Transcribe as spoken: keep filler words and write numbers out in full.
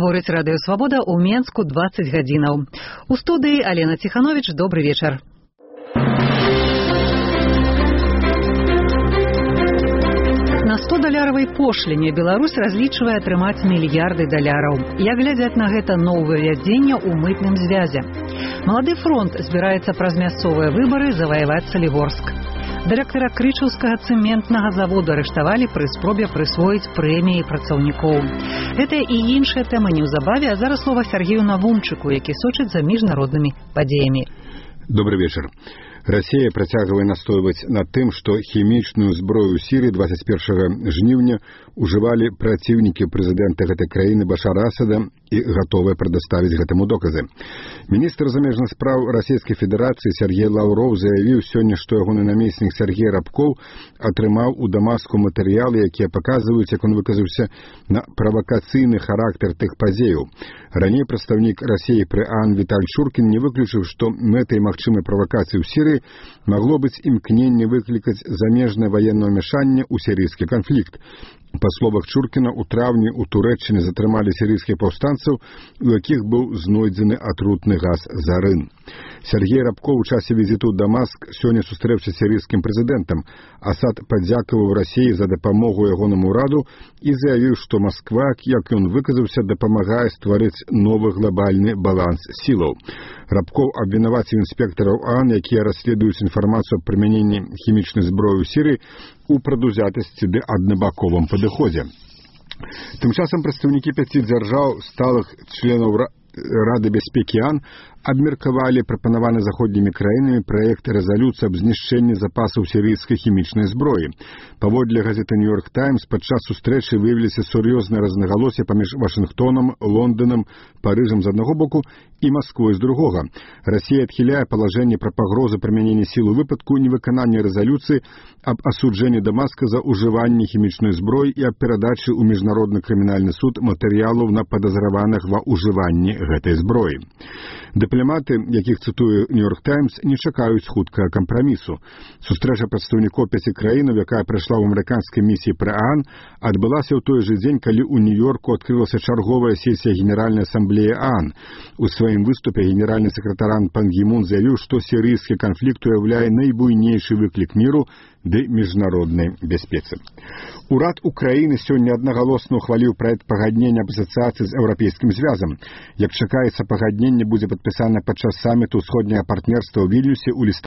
Гаворыць Радыё Свабода ў Менску дваццаць гадзінаў. У студыі Алена Ціхановіч, добры вечар. На сто-даляровай пошліне Беларусь разлічвае атрымаць мільярды даляраў. Як глядзяць на гэта новаўвядзенне ў мытным звязе? Малады фронт збіраецца праз мясцовыя выбары заваяваць Салігорск. Дырэктара крычаўскага цэментнага завода арыштавалі пры спробе прысвоіць прэміі працаўнікоў. Гэтыя і іншыя тэмы неўзабаве, а зараз слова Сергею Навумчыку, які сочыць за міжнароднымі падзеямі. Добрый вечер. Россия працягвае настойваць на тым, што хімічную зброю ў Сірыі дваццаць першага жніўня ужывалі праціўнікі прэзідэнта гэтай краіны Башара Асада і гатовыя прадаставіць гэтаму доказы. Міністр замежных спраў Расійскай Федэрацыі Сергей Лаўроў заявіў сёння, што ягоны намеснік Сергей Рабкоў атрымаў у Дамаску матэрыялы, якія паказваюць, як он выказаўся на правакацыйны характар тых падзеяў. Раней прадстаўнік Расіі пры ААН Віталь Чуркін не выключыў, што мэтай магчымай правакацыі ў Сірыі могло быць імкненне выклікаць замежнае ваеннае ўмяшанне ў сірыйскі канфлікт. Па словах Чуркіна, у траўні ў Турэччыне затрымалі сірыйскіх паўстанцаў, у якіх быў знойдзены атрутны газ зарын. Сергей Рабкоў у часе візіту ў Дамаск сёння сустрэўся з сірыйскім прэзідэнтам. Асад падзякаваў Расіі за дапамогу ягонаму ўраду і заявіў, што Масква, як ён выказаўся, дапамагае стварыць новы глобальны баланс сілаў. Рабкоў абвінаваціў інспектараў ААН, якія расследуюць інфармацыю аб прымяненні хімічнай зброі ў Сірыі, у прадузятасці ды аднабаковым падыходзе. Тым часам прадстаўнікі пяці дзяржаў, сталых членаў Рады бяспекі ААН, абмеркавалі прапанаваны заходнімі краінамі праект рэзалюцыі аб знішчэнні запасаў сірыйскай хімічнай зброі. Паводле газеты «Нью-Йорк Таймс», падчас сустрэчы выявіліся сур'ёзныя рознагалоссі паміж Вашынгтонам, Лондонам, Парыжам з аднаго боку і Масквой з другога. Расія адхіляе палажэнне пра пагрозы прымянення сіл у выпадку невыканання рэзалюцыі аб асуджэнні Дамаска за ўжыванне хімічнай зброі і аб перадачы ў міжнародны крымінальны суд матэрыялаў на падазраваных ва ўжыванні гэтай зброі. Дыпламаты, якіх цытуе «Нью-Йорк Таймс», не чакаюць хуткага кампрамісу. Сустрэча прадстаўнікоў пяці краінаў, якая прайшла ў амерыканскай місіі пры ААН, адбылася ў той жа дзень, калі ў Нью-Йорку адкрылася чарговая сесія Генеральнай асамблеі ААН. У сваім выступе генеральны сакратар ААН Пан Гі Мун заявіў, што сірыйскі канфлікт уяўляе найбуйнейшы выклік міру ды міжнароднай бяспецы. Урад Украіны сёння аднагалосна ухваліў праект пагаднення аб асацыяцыі з Еўрапейскім звязам. Як чакаецца, пагадненне будзе падпісана падчас саміту ўсходняга партнерства ў Вільнюсе ў лістападзе